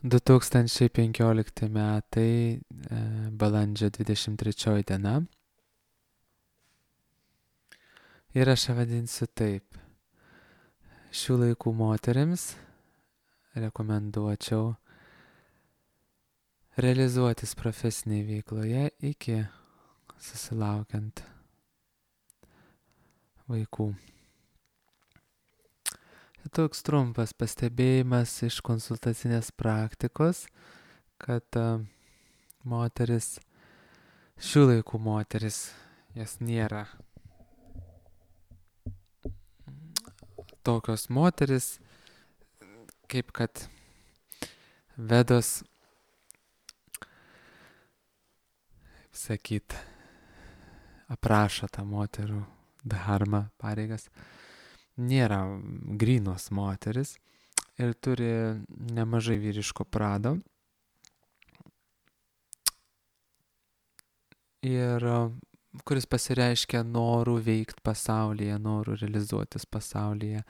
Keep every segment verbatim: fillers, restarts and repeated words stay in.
du tūkstančiai penkiolikti metai, e, balandžio dvidešimt trečioji diena. Ir aš ją vadinsiu taip. Šių laikų moterims rekomenduočiau realizuotis profesinėje veikloje iki susilaukiant vaikų. Toks trumpas pastebėjimas iš konsultacinės praktikos, kad uh, moteris, šių laikų moteris, jas nėra tokios moteris, kaip kad Vedos, kaip sakyt, aprašo tą moterų dharmą, pareigas. Nėra grynos moteris ir turi nemažai vyriško prado. Ir kuris pasireiškia norų veikti pasaulyje, norų realizuotis pasaulyje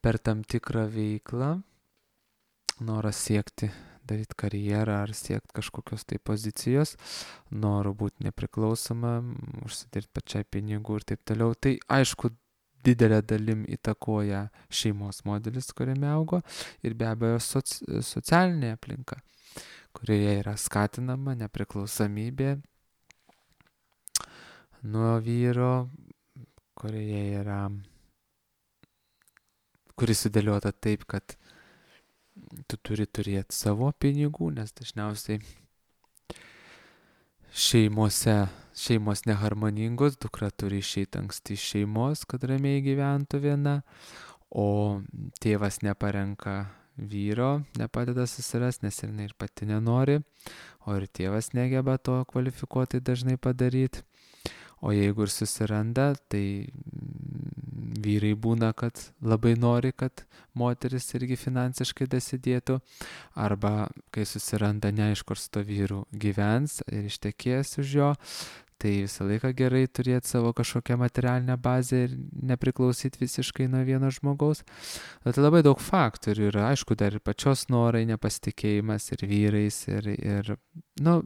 per tam tikrą veiklą, noras siekti, daryti karjerą ar siekti kažkokios tai pozicijos, norų būti nepriklausoma, užsidirbti pačiai pinigų ir taip toliau. Tai aišku, didelė dalim įtakoja šeimos modelis, kuriame augo, ir be abejo soci, socialinė aplinka, kurioje yra skatinama nepriklausomybė nuo vyro, kurioje yra, kuris sudėliota taip, kad tu turi turėti savo pinigų, nes dažniausiai šeimose, šeimos neharmoningos, dukra turi išeiti anksti iš šeimos, kad ramiai gyventų viena, o tėvas neparenka vyro, nepadeda susirasti, nes ir, ir pati nenori, o ir tėvas negeba to kvalifikuotai dažnai padaryti. O jeigu ir susiranda, tai vyrai būna, kad labai nori, kad moteris irgi finansiškai dasidėtų, arba kai susiranda, neaišku, ar su to vyru gyvens ir ištekės už jo, tai visą laiką gerai turėti savo kažkokią materialinę bazę ir nepriklausyti visiškai nuo vieno žmogaus. Bet labai daug faktorių yra, aišku, dar ir pačios norai, nepasitikėjimas ir vyrais, ir, ir nu,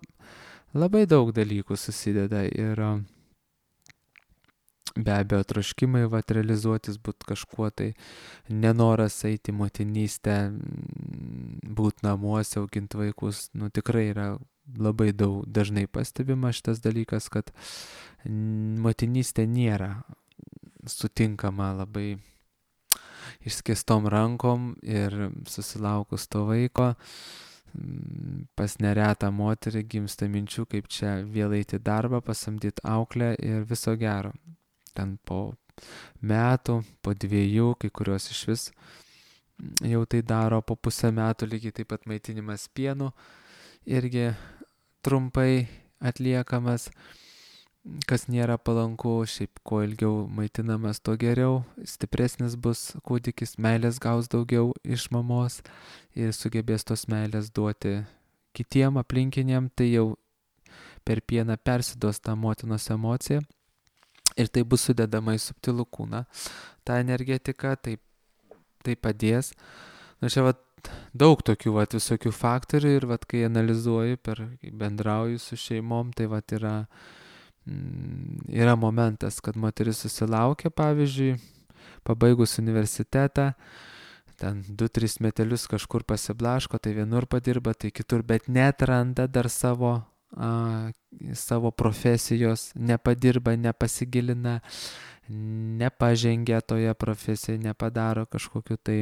labai daug dalykų susideda ir be abejo troškimai vat realizuotis, būti kažkuo, tai nenoras eiti motinystę, būti namuose, auginti vaikus, nu tikrai yra labai daug dažnai pastebima šitas dalykas, kad motinystė nėra sutinkama labai išskėstom rankom ir susilaukus to vaiko pas neretą moterį gimsta minčių, kaip čia vėl eiti darbą, pasamdyti auklę ir viso gero. Ten po metų, po dviejų, kai kurios iš vis jau tai daro, po pusę metų lygiai taip pat maitinimas pienu irgi trumpai atliekamas, kas nėra palanku, šiaip kuo ilgiau maitinamas, to geriau, stipresnis bus kūdikis, meilės gaus daugiau iš mamos ir sugebės tos meilės duoti kitiem aplinkiniam, tai jau per pieną persiduos tą motinos emociją. Ir tai bus sudedama į subtilų kūną. Ta energetika, tai, tai padės. Na, čia vat, daug tokių vat, visokių faktorių ir vat, kai analizuoju, per, bendrauju su šeimom, tai vat, yra, mm, yra momentas, kad moteris susilaukia, pavyzdžiui, pabaigus universitetą, ten du tris metelius kažkur pasiblaško, tai vienur padirba, tai kitur, bet neatranda dar savo A, savo profesijos, nepadirba, nepasigilina, nepažengia toje profesijoje, nepadaro kažkokiu tai,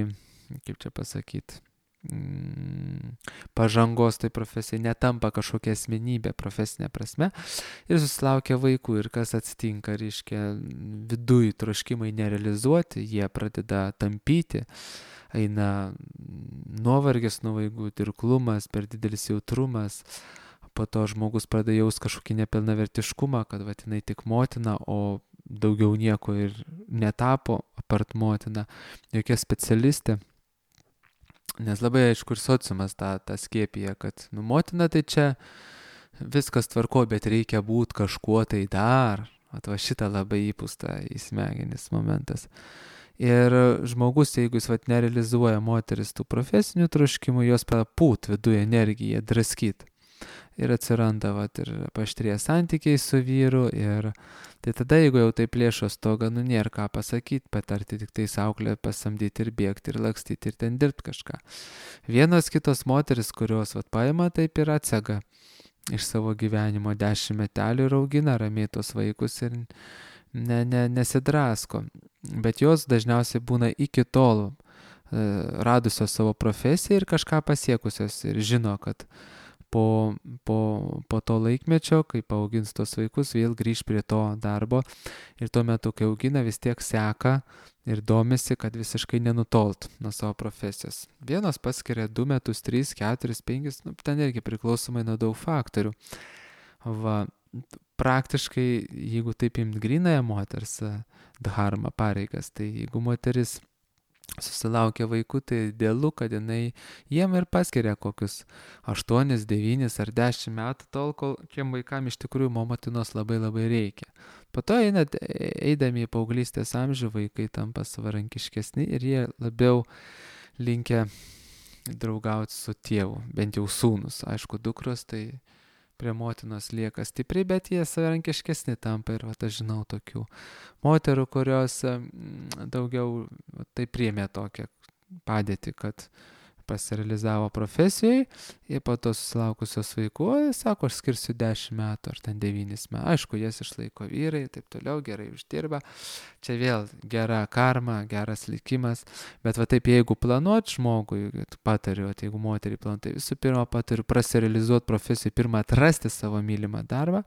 kaip čia pasakyti, mm, pažangos tai profesijai, netampa kažkokia asmenybė profesinė prasme ir susilaukia vaikų ir kas atsitinka, reiškia, viduj troškimai nerealizuoti, jie pradeda tampyti, eina nuovargis nuo vaikų, dirglumas, per didelis jautrumas. Po to žmogus pradeda jaus kažkokį nepilnavertiškumą, kad vat, jinai tik motina, o daugiau nieko ir netapo apart motina, jokia specialistė. Nes labai aišku ir sociumas tą, tą skiepija, kad nu, motina tai čia viskas tvarko, bet reikia būti kažkuo tai dar. Atva šitą labai įpūsta į smegenis momentas. Ir žmogus, jeigu jis vat nerealizuoja moteris tų profesinių troškimų, jos pradeda pūt viduje energiją, draskyt. Ir atsiranda vat ir paaštrėja santykiai su vyru. Ir tai tada, jeigu jau tai plėšo stogą, nu nėra ką pasakyti, patarti tik tai auklę pasamdyti ir bėgti ir lakstyti ir ten dirbti kažką. Vienos kitos moteris, kurios vat paima, taip ir atsega iš savo gyvenimo dešimt metelių ir augina ramiai tos vaikus ir ne, ne, nesidrasko. Bet jos dažniausiai būna iki tol e, radusios savo profesiją ir kažką pasiekusios ir žino, kad po, po, po to laikmečio, kai paaugins tos vaikus, vėl grįž prie to darbo ir tuo metu, kai augina, vis tiek seka ir domisi, kad visiškai nenutolt nuo savo profesijos. Vienos paskiria du metus, tris, keturis, penkis, nu, ten irgi priklausomai nuo daug faktorių. Va, praktiškai, jeigu taip imt grynąją moters dharma pareigas, tai jeigu moteris susilaukia vaikų, tai idealu, kad jinai jiem ir paskiria kokius aštuonis, devynis ar dešimt metų, tol, kol kiem vaikam iš tikrųjų motinos labai labai reikia. Po to einat, eidami į paauglystės amžių, vaikai tampa savarankiškesni ir jie labiau linkę draugauti su tėvu, bent jau sūnus. Aišku, dukros tai prie motinos lieka stipriai, bet jie savarankiškesni tampa ir vat, aš žinau tokių moterų, kurios daugiau tai priėmė tokią padėtį, kad pasirealizavo profesijai ir po to susilaukusios vaikų, sako, aš skirsiu dešimt metų ar ten devynis metų. Aišku, jas išlaiko vyrai, taip toliau, gerai uždirba. Čia vėl gera karma, geras likimas, bet va taip, jeigu planuot žmogui, patariu, tai jeigu moterį planuot, tai visų pirma patariu prasirealizuoti profesiją, pirmą atrasti savo mylimą darbą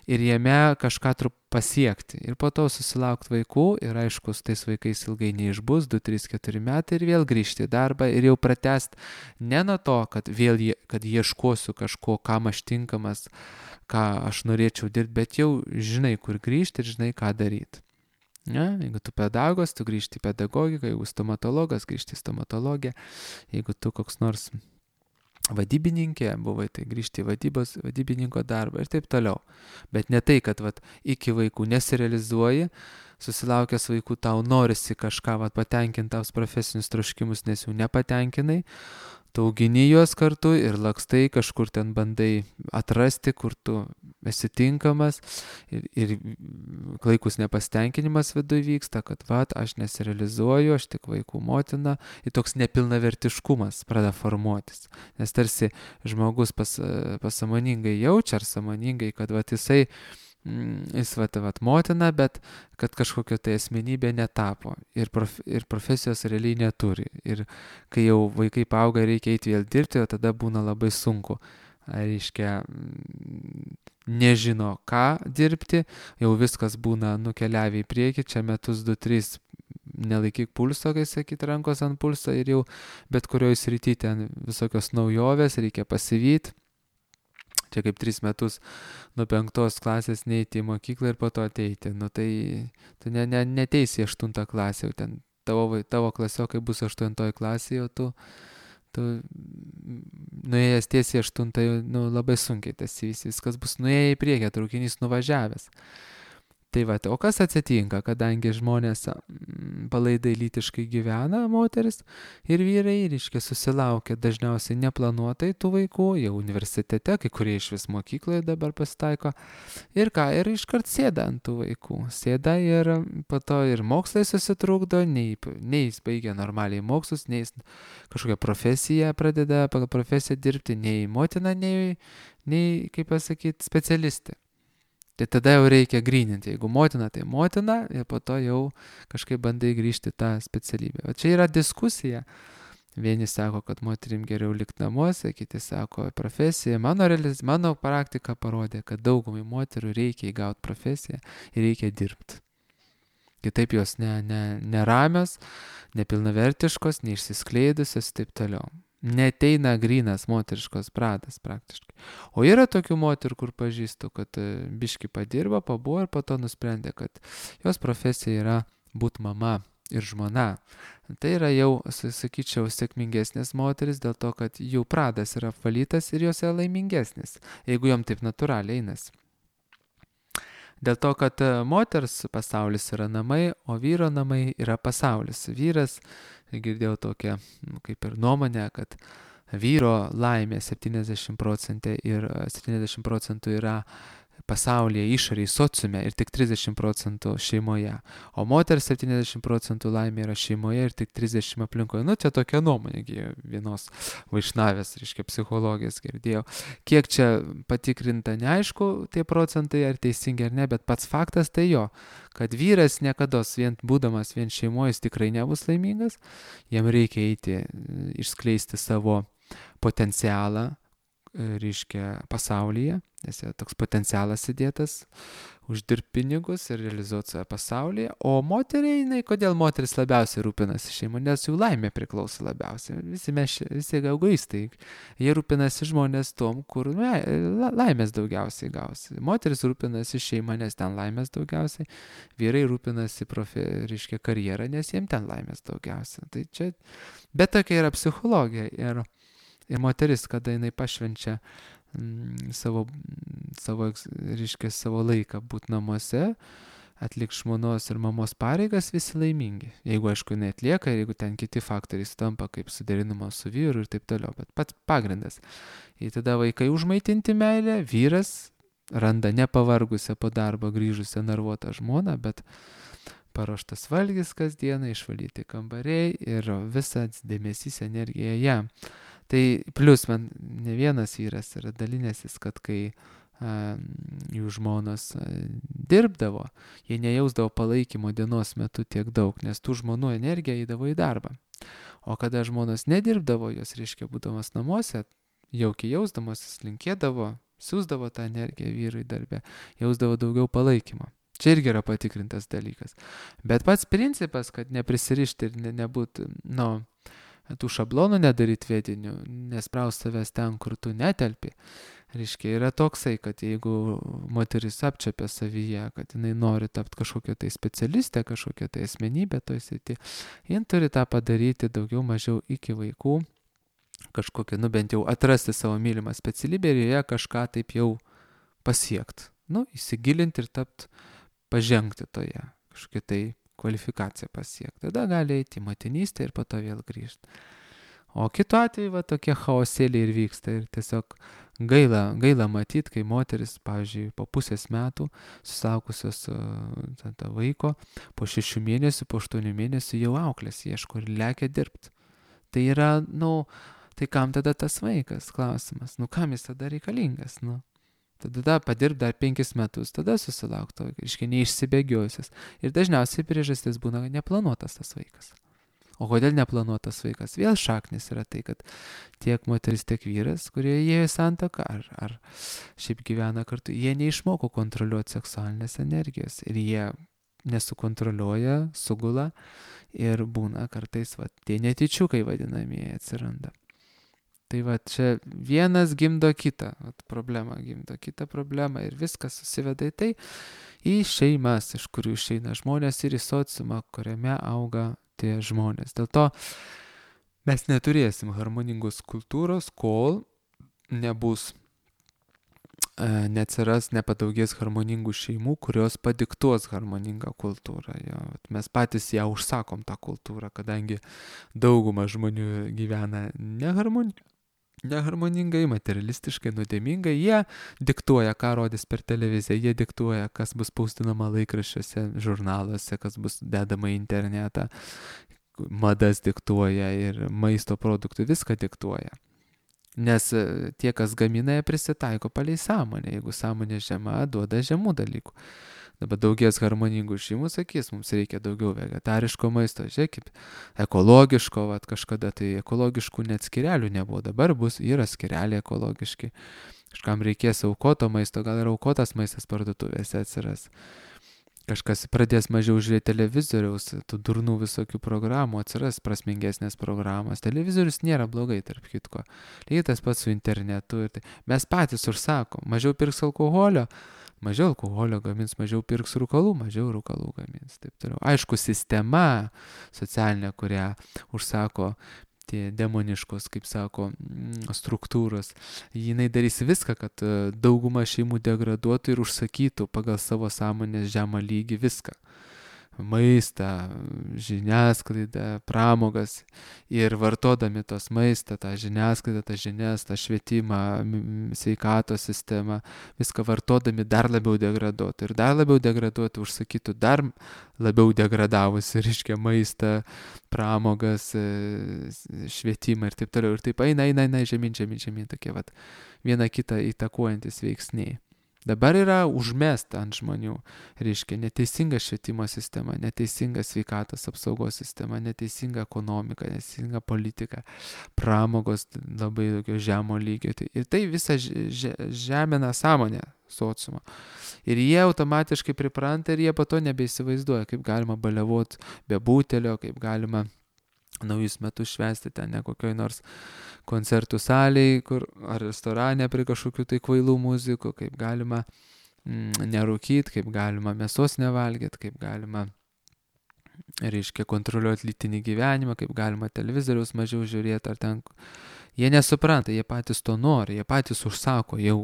ir jame kažką trup pasiekti ir po to susilaukti vaikų ir aišku, su tais vaikais ilgai neišbus, du, trys, keturi metai ir vėl grįžti į darbą ir jau pratęsti ne nuo to, kad vėl je, kad ieškosiu kažko, kam aš tinkamas, ką aš norėčiau dirbti, bet jau žinai, kur grįžti ir žinai, ką daryti. Ne? Jeigu tu pedagogas, tu grįžti į pedagogiką, jeigu stomatologas, grįžti į stomatologiją, jeigu tu koks nors vadybininkė buvai, tai grįžti į vadybos, vadybininko darbą ir taip toliau. Bet ne tai, kad vat, iki vaikų nesirealizuoji, susilaukęs vaikų tau norisi kažką vat, patenkinti tavs profesinius troškimus, nes jų nepatenkinai, tu augini juos kartu ir lakstai kažkur ten bandai atrasti, kur tu esi tinkamas ir, ir klaikus nepastenkinimas viduje vyksta, kad vat, aš nesirealizuoju, aš tik vaikų motina ir toks nepilnavertiškumas pradeda formuotis. Nes tarsi žmogus pas, pasąmoningai jaučia ar sąmoningai, kad vat, jisai jis vat, vat motina, bet kad kažkokio tai asmenybė netapo ir, prof, ir profesijos realiai neturi. Ir kai jau vaikai paauga, reikia eiti vėl dirbti, o tada būna labai sunku. Reiškia, nežino, ką dirbti, jau viskas būna nukeliavę į priekį, čia metus, du, tris, nelaikyk pulso, kai sakyt, rankos ant pulso ir jau bet kurioje srityje ten visokios naujovės, reikia pasivyti. Čia kaip tris metus nuo penktos klasės neiti į mokyklą ir po to ateiti. Nu tai tu ne, ne, neteisi į aštuntą klasę, jau ten tavo, tavo klasiokai bus aštuntoji klasė, jau tu, tu nuėjęs tiesiai aštuntą, nu, labai sunkiai tas įvys, viskas bus nuėję į priekį, traukinys nuvažiavęs. Tai va, o kas atsitinka, kadangi žmonės palaidai lytiškai gyvena, moteris ir vyrai, reiškia, susilaukia dažniausiai neplanuotai tų vaikų, jau universitete, kai kurie iš vis mokykloje dabar pasitaiko, ir ką, ir iškart sėda ant tų vaikų. Sėda ir po to ir mokslai susitrukdo, nei, nei jis baigia normaliai mokslus, nei jis kažkokią profesiją pradeda pagal profesiją dirbti, nei motina, nei, nei kaip pasakyti, specialistė. Tai tada jau reikia gryninti, jeigu motina, tai motina ir po to jau kažkaip bandai grįžti tą specialybę. O čia yra diskusija. Vieni sako, kad moterim geriau likti namuose, kiti sako profesija. Mano, realiz... Mano praktika parodė, kad daugumai moterų reikia įgauti profesiją ir reikia dirbti. Kitaip jos ne, ne, neramios, nepilnavertiškos, neišsiskleidusios ir taip toliau. Neteina grynas moteriškos pradas praktiškai. O yra tokių moterų, kur pažįstu, kad biški padirba, pabuvo ir po to nusprendė, kad jos profesija yra būti mama ir žmona. Tai yra jau, sakyčiau, sėkmingesnės moteris dėl to, kad jų pradas yra apvalytas ir jos yra laimingesnis, jeigu jom taip natūraliai einas. Dėl to, kad moters pasaulis yra namai, o vyro namai yra pasaulis. Vyras, girdėjau tokią, nu, kaip ir nuomonę, kad vyro laimė septyniasdešimt procentų ir septyniasdešimt procentų yra pasaulyje, išorėje, sociume ir tik trisdešimt procentų šeimoje. O moters septyniasdešimt procentų laimė yra šeimoje ir tik trisdešimt aplinkoje. Nu, čia tokia nuomonė vienos vaišnavės, reiškia, psichologijos girdėjau. Kiek čia patikrinta, neaišku, tie procentai ar teisingi ar ne, bet pats faktas tai jo, kad vyras niekada vien būdamas vien šeimoje jis tikrai nebus laimingas, jam reikia eiti, išskleisti savo potencialą, reiškia, pasaulyje, nes toks potencialas įdėtas, uždirbti pinigus ir realizuoti save pasaulyje, o moteriai, jinai, kodėl moteris labiausiai rūpinasi šeimą, nes jų laimė priklauso labiausiai, visi mes, visi egoistai, jie rūpinasi žmonės tom, kur ne, laimės daugiausiai gausi, moteris rūpinasi šeimą, nes ten laimės daugiausiai, vyrai rūpinasi profi, reiškia, karjerą, nes jiems ten laimės daugiausiai, tai čia, bet tokia yra psichologija ir Ir moteris, kada jinai pašvenčia mm, savo, savo, reiškia, savo laiką būti namuose, atliks žmonos ir mamos pareigas, visi laimingi. Jeigu, aišku, jinai atlieka, jeigu ten kiti faktoriai tampa kaip suderinimo su vyru ir taip toliau, bet pats pagrindas. Ir tada vaikai užmaitinti meilę, vyras randa nepavargusią po darbo grįžusią nervuotą žmoną, bet paruoštas valgis kasdieną, išvalyti kambariai ir visas dėmesys, energija jam. Tai plus man ne vienas vyras yra dalinęsis, kad kai a, jų žmonos a, dirbdavo, jie nejausdavo palaikymo dienos metu tiek daug, nes tų žmonų energija eidavo į darbą. O kada žmonos nedirbdavo, jos, reiškia, būdamas namuose, jaukiai jausdamos, jis linkėdavo, siūsdavo tą energiją vyrui darbę, jausdavo daugiau palaikymo. Čia irgi yra patikrintas dalykas. Bet pats principas, kad neprisirišti ir ne, nebūti, nu, tų šablonų nedaryti vedinių, nespraust savęs ten, kur tu netelpi, reiškia, yra toksai, kad jeigu moteris apčiapia savyje, kad jinai nori tapti kažkokią tai specialistę, kažkokią tai asmenybę toj srity, jin turi tą padaryti daugiau mažiau iki vaikų, kažkokią, nu bent jau atrasti savo mylimą specialybę ir joje kažką taip jau pasiekti. Nu, įsigilinti ir tapti, pažengti toje, kažkokią tai kvalifikaciją pasiekti. Tada gali eiti į motinystę ir po to vėl grįžti. O kitu atveju, va, tokie chaosėliai ir vyksta. Ir tiesiog gaila, gaila matyti, kai moteris, pavyzdžiui, po pusės metų susilaukusios uh, vaiko, po šešių mėnesių, po aštuonių mėnesių jau auklės ieško ir lekia dirbti. Tai yra, nu, tai kam tada tas vaikas? Klausimas. Nu, kam jis tada reikalingas? Nu. Tada padirb dar penkis metus, tada susilaukto, iškai neišsibėgiojusias. Ir dažniausiai priežastis būna neplanuotas tas vaikas. O kodėl neplanuotas vaikas? Vėl šaknis yra tai, kad tiek moteris, tiek vyras, kurie įėjo į santuoką, ar, ar šiaip gyvena kartu, jie neišmoko kontroliuoti seksualinės energijos. Ir jie nesukontroliuoja, sugula ir būna kartais, va, tie netyčiukai vadinamieji atsiranda. Tai va, čia vienas gimdo kitą, vat, problema gimdo kitą problemą ir viskas susiveda į tai, į šeimas, iš kurių išeina žmonės ir į sociumą, kuriame auga tie žmonės. Dėl to mes neturėsim harmoningos kultūros, kol nebus, e, neatsiras, nepadaugės harmoningų šeimų, kurios padiktuos harmoningą kultūrą. Jo, mes patys ją užsakom tą kultūrą, kadangi dauguma žmonių gyvena neharmoningai. neharmoningai, materialistiškai, nuodėmingai, jie diktuoja, ką rodys per televiziją, jie diktuoja, kas bus paustinama laikraščiuose, žurnaluose, kas bus dedama į internetą, madas diktuoja ir maisto produktų, viską diktuoja. Nes tie, kas gamina, prisitaiko palei sąmonę, jeigu sąmonė žema, duoda žemų dalykų. Dabar daugės harmoningų šeimų sakys, mums reikia daugiau vegetariško maisto, žiūrėkit, ekologiško, vat, kažkada tai ekologiškų net skirelių nebuvo, dabar bus, yra skireliai ekologiški, kažkam reikės aukoto maisto, gal ir aukotas maistas parduotuvėse atsiras. Kažkas pradės mažiau žiūrėti televizoriaus, tų durnų visokių programų, atsiras prasmingesnės programos. Televizorius nėra blogai, tarp kitko. Lygiai tas pats su internetu. Tai mes patys užsakom, mažiau pirks alkoholio, mažiau alkoholio gamins, mažiau pirks rūkalų, mažiau rūkalų gamins. Taip toliau. Aišku, sistema socialinė, kurią užsako tie demoniškos, kaip sako, struktūros. Jinai darys viską, kad dauguma šeimų degraduotų ir užsakytų pagal savo sąmonės žemą lygį viską. Maistą, žiniasklaidą, pramogas ir vartodami tos maistą, tą žiniasklaidą, tą žinias, tą švietimą, sveikatos sistemą, viską vartodami dar labiau degraduotų ir dar labiau degraduotų, užsakytų dar labiau degradavusi, reiškia maistą, pramogas, švietimą ir taip toliau. Ir taip eina, eina, eina, žemyn, žemyn, žemyn, tokie vat viena kitą įtakuojantis veiksniai. Dabar yra užmesta ant žmonių, reiškia, neteisinga švietimo sistema, neteisinga sveikatos apsaugos sistema, neteisinga ekonomika, neteisinga politika, pramogos labai daugio žemo lygio. Ir tai visą žemina sąmonę sociumo. Ir jie automatiškai pripranta ir jie po to nebeįsivaizduoja, kaip galima baliavot be butelio, kaip galima naujus metus švęsti ten ne kokioj nors koncertų salėj, kur, ar restorane prie kažkokių tai kvailų muzikų, kaip galima mm, nerūkyti, kaip galima mėsos nevalgyti, kaip galima, reiškia, kontroliuoti lytinį gyvenimą, kaip galima televizoriaus mažiau žiūrėti, ar ten. Jie nesupranta, jie patys to nori, jie patys užsako jau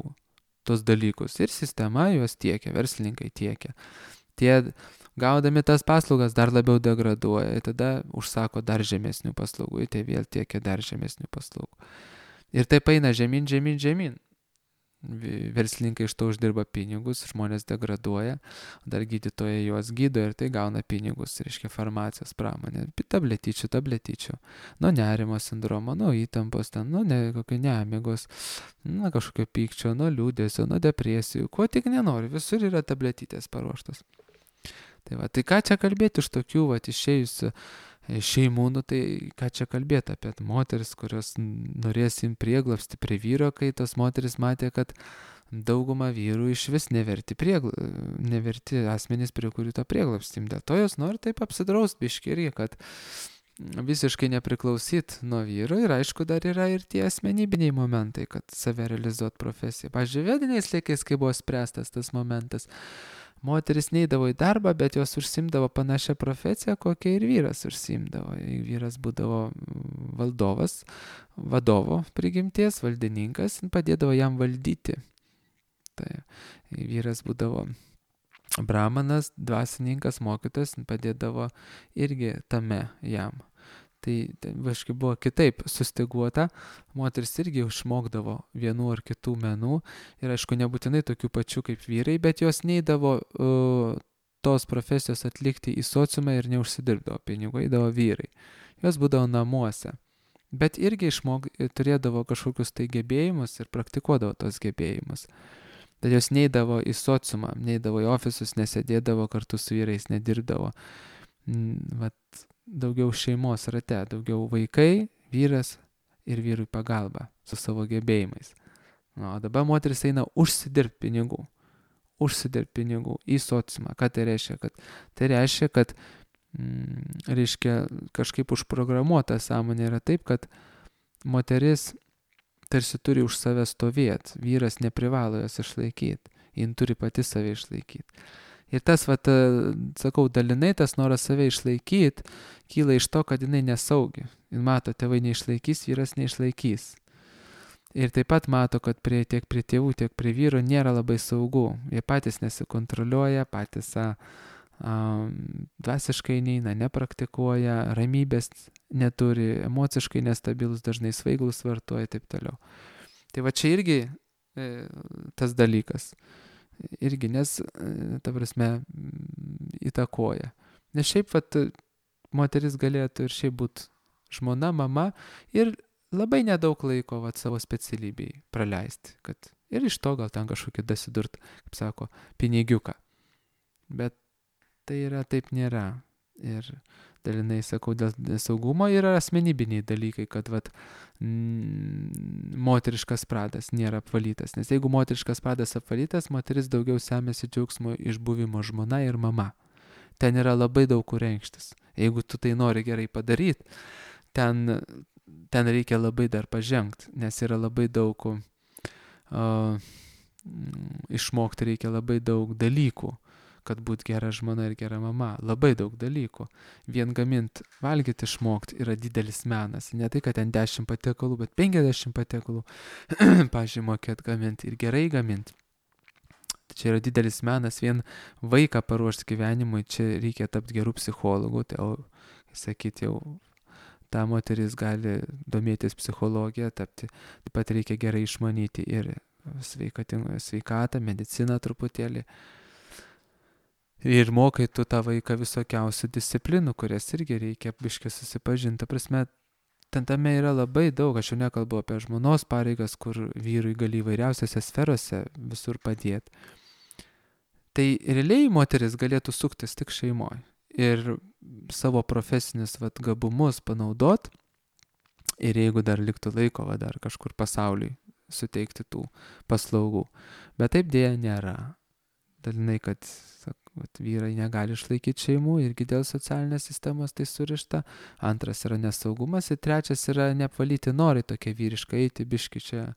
tos dalykus ir sistema juos tiekia, verslininkai tiekia. Tie gaudami tas paslaugas dar labiau degraduoja, tada užsako dar žemesnių paslaugų, tai vėl tiekia dar žemesnių paslaugų. Ir taip eina žemyn, žemyn, žemyn. Verslininkai iš to uždirba pinigus, žmonės degraduoja, dar gydytojai juos gydo ir tai gauna pinigus, reiškia farmacijos pramonė, tabletyčių, tabletyčių, nuo nerimo sindromo, nuo įtampos, ten, nuo ne, kokio nemigos, nuo kažkokio pykčio, nuo liūdesio, nuo depresijų, ko tik nenori, visur yra tabletytės paruoštos. Tai va, tai ką čia kalbėti iš tokių, va, išėjusių šeimų, nu tai ką čia kalbėti apie moteris, kurios norės imti prieglobstį prie vyro, kai tos moteris matė, kad dauguma vyrų iš vis neverti, priegla, neverti asmenys, prie kurių to prieglobstį. Dėl to jos nori taip apsidraust biškį irgi, kad visiškai nepriklausyt nuo vyro ir aišku dar yra ir tie asmenybiniai momentai, kad save realizuot profesiją. Pavyzdžiui, vediniais laikais, kai buvo spręstas tas momentas, moteris neidavo į darbą, bet jos užsimdavo panašią profesiją, kokią ir vyras užsimdavo. Vyras būdavo valdovas, vadovo prigimties, valdininkas, padėdavo jam valdyti. Tai vyras būdavo brahmanas, dvasininkas, mokytojas, padėdavo irgi tame jam. Tai, tai vaškai buvo kitaip sustyguota, moteris irgi išmokdavo vienų ar kitų menų ir aišku nebūtinai tokių pačių kaip vyrai, bet jos neidavo uh, tos profesijos atlikti į sociumą ir neužsidirbdavo pinigų, eidavo vyrai. Jos būdavo namuose, bet irgi išmok, turėdavo kažkokius tai gebėjimus ir praktikuodavo tos gebėjimus. Tad jos neidavo į sociumą, neidavo į ofisus, nesėdėdavo kartu su vyrais, nedirbdavo. Vat, daugiau šeimos rate, daugiau vaikai, vyras ir vyrui pagalba su savo gebėjimais. O dabar moteris eina užsidirbti pinigų, užsidirbti pinigų į sociumą. Ką tai reiškia? Kad, tai reiškia, kad mm, reiškia, kažkaip užprogramuota sąmonė yra taip, kad moteris tarsi turi už save stovėti, vyras neprivalo jos išlaikyti, jin turi pati save išlaikyti. Ir tas, vat, sakau, dalinai tas noras save išlaikyti, kyla iš to, kad jinai nesaugi. Jis mato, tėvai neišlaikys, vyras neišlaikys. Ir taip pat mato, kad prie, tiek prie tėvų, tiek prie vyro nėra labai saugu. Jie patys nesikontroliuoja, patys a, a, dvasiškai neina, nepraktikuoja, ramybės neturi, emociškai nestabilus, dažnai svaiglus vartoja ir taip toliau. Tai va čia irgi e, tas dalykas. Irgi, nes, ta prasme, įtakoja. Nes šiaip, vat, moteris galėtų ir šiaip būti žmona, mama ir labai nedaug laiko, vat, savo specialybei praleisti. Kad ir iš to gal ten kažkokį dasidurt, kaip sako, pinigiuką. Bet tai yra, taip nėra. Ir dalinai, sakau, dėl saugumo yra asmenybiniai dalykai, kad vat, mm, moteriškas pradas nėra apvalytas. Nes jeigu moteriškas pradas apvalytas, moteris daugiau semėsi džiaugsmo iš buvimo žmona ir mama. Ten yra labai daug kur reikštis. Jeigu tu tai nori gerai padaryti, ten, ten reikia labai dar pažengti, nes yra labai daug, uh, išmokti reikia labai daug dalykų, kad būt gera žmona ir gera mama. Labai daug dalykų. Vien gamint, valgyti išmokti yra didelis menas. Ne tai, kad ten dešimt patiekalų, bet penkiasdešimt patiekalų. Pavyzdžiui, mokėt gaminti ir gerai gaminti. Čia yra didelis menas, vien vaiką paruošti gyvenimui, čia reikia tapti gerų psichologų, tai jau, sakyti, jau ta moteris gali domėtis psichologiją, tapti, taip pat reikia gerai išmanyti ir sveikatą, mediciną truputėlį. Ir mokai tu tą vaiką visokiausių disciplinų, kurias irgi reikia biškai susipažinti. Ta prasme, ten tame yra labai daug, aš jau nekalbu apie žmonos pareigas, kur vyrui gali įvairiausiose sferose visur padėti. Tai realiai moteris galėtų suktis tik šeimoje ir savo profesinius vat, gabumus panaudot ir jeigu dar liktų laiko, va, dar kažkur pasauliui suteikti tų paslaugų. Bet taip dėja nėra. Dalinai, kad sak, vat, vyrai negali išlaikyti šeimų irgi dėl socialinės sistemos tai surišta. Antras yra nesaugumas ir trečias yra neapvalyti norai tokie vyriškai eiti biški čia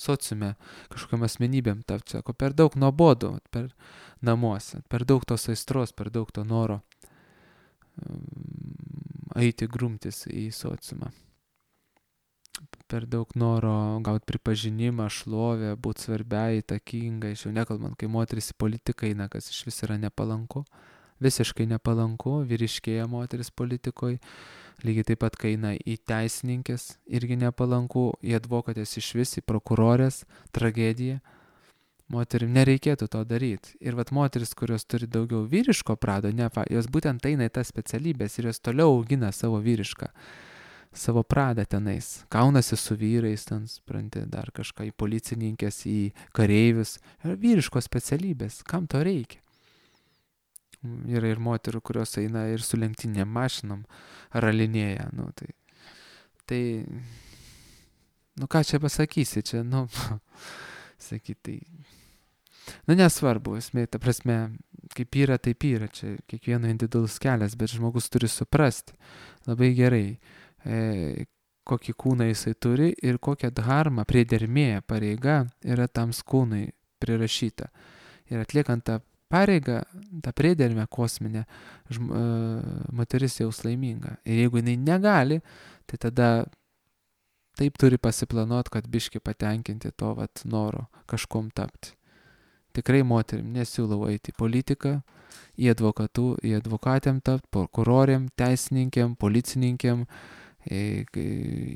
sociume kažkokiam asmenybėm tapti. Sako, per daug nuobodu, per namuose, per daug tos aistros, per daug to noro eiti grumtis į sociumą. Per daug noro gauti pripažinimą, šlovę, būti svarbia, įtakinga, iš jau nekalbant, kai moteris į politiką eina, kas iš vis yra nepalanku, visiškai nepalanku, vyriškėja moteris politikoje, lygiai taip pat, kai eina į teisininkės, irgi nepalanku, į advokatės iš vis, į prokurorės, tragedija. Moterim nereikėtų to daryti. Ir vat moteris, kurios turi daugiau vyriško prado, ne, jos būtent eina į tas specialybės ir jos toliau augina savo vyrišką. Savo pradą tenais, kaunasi su vyrais, ten, spranti, dar kažką į policininkės, į kareivius, yra vyriškos specialybės, kam to reikia? Yra ir moterų, kurios eina ir su lenktynėm mašinom ralinėja, nu tai, tai, nu ką čia pasakysi, čia, nu, sakyti, tai, nu nesvarbu, esmė, ta prasme, kaip yra, taip yra, čia kiekvieno individualus kelias, bet žmogus turi suprasti labai gerai, E, kokį kūną jisai turi ir kokią dharmą, priedermė, pareiga yra tam kūnui prirašyta. Ir atliekant tą pareigą, tą priedermę kosminę, žm, e, moteris jaus laiminga. Ir jeigu jinai negali, tai tada taip turi pasiplanuoti, kad biški patenkinti to vat, noro kažkom tapti. Tikrai moterim nesiūlau eiti į politiką, į advokatų, į advokatėm tapti, prokurorėm, teisininkėm, policininkėm, į,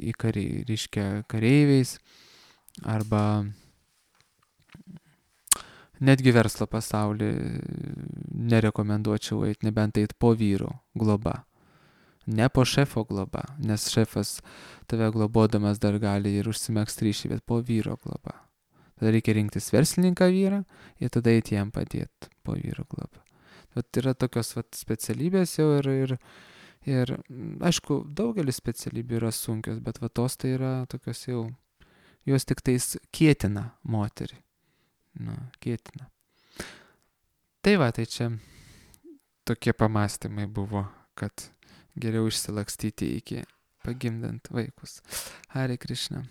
į kari, reiškia kareiviais arba netgi verslo pasaulį nerekomenduočiau eiti, nebent eiti po vyro globa. Ne po šefo globa, nes šefas tave globodamas dar gali ir užsimegzti ryšį, bet po vyro globa. Tada reikia rinktis verslininką vyrą ir tada eiti jam padėti po vyro globą. Vat yra tokios vat, specialybės jau ir, ir Ir, aišku, daugelis specialybių yra sunkios, bet va tos tai yra tokios jau, jos tik tais kietina moterį. Nu, kietina. Tai va, tai čia tokie pamastymai buvo, kad geriau išsilakstyti iki pagimdant vaikus. Hare Krishna.